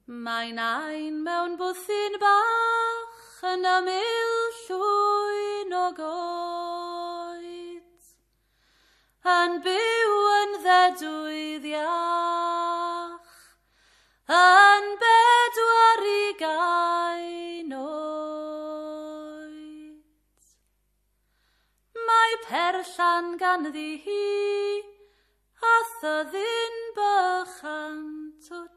Mae nain mewn bwthyn bach yn ymyl llwyn o goed, yn byw yn ddedwydd iach, yn 24 oed. Mae perllan ganddi hi, a thyddyn bychan twt.